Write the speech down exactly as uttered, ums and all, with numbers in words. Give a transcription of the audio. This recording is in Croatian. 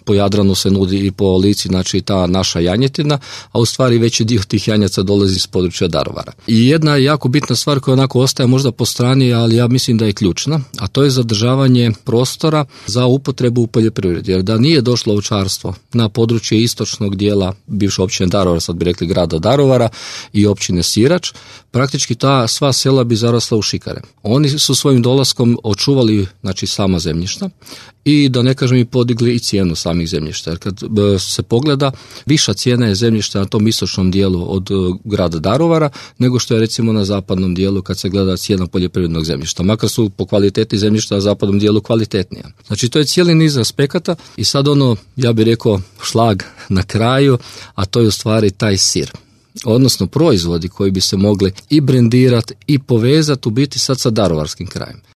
po Jadranu se nudi i po Lici, znači ta naša janjetina, a u stvari veći dio tih janjaca dolazi iz područja Daruvara. I jedna jako bitna stvar koja onako ostaje možda po strani, ali ja mislim da je ključna, a to je zadržavanje prostora za upotrebu u poljoprivredi. Jer da nije došlo ovčarstvo na područje istočnog dijela bivše općine Daruvar, sad bi rekli grada Daruvara i općine Sirač, praktički ta sva sela bi zarasla u šikare. Oni su svojim dolaskom očuvali, znači, sama zemljišta i da ne kažem i podigli i cijenu samih zemljišta. Jer kad se pogleda, viša cijena je zemljišta na tom istočnom dijelu od grada Daruvara nego što je recimo na zapadnom dijelu kad se gleda cijena poljoprivrednog zemljišta. Makar su po kvaliteti zemljišta na zapadnom dijelu kvalitetnija. Znači to je cijeli niz aspekata i sad ono, ja bih rekao, šlag na kraju, a to je u stvari taj sir. Odnosno proizvodi koji bi se mogli i brendirati i povezati u biti sad sa daruvarskim krajem.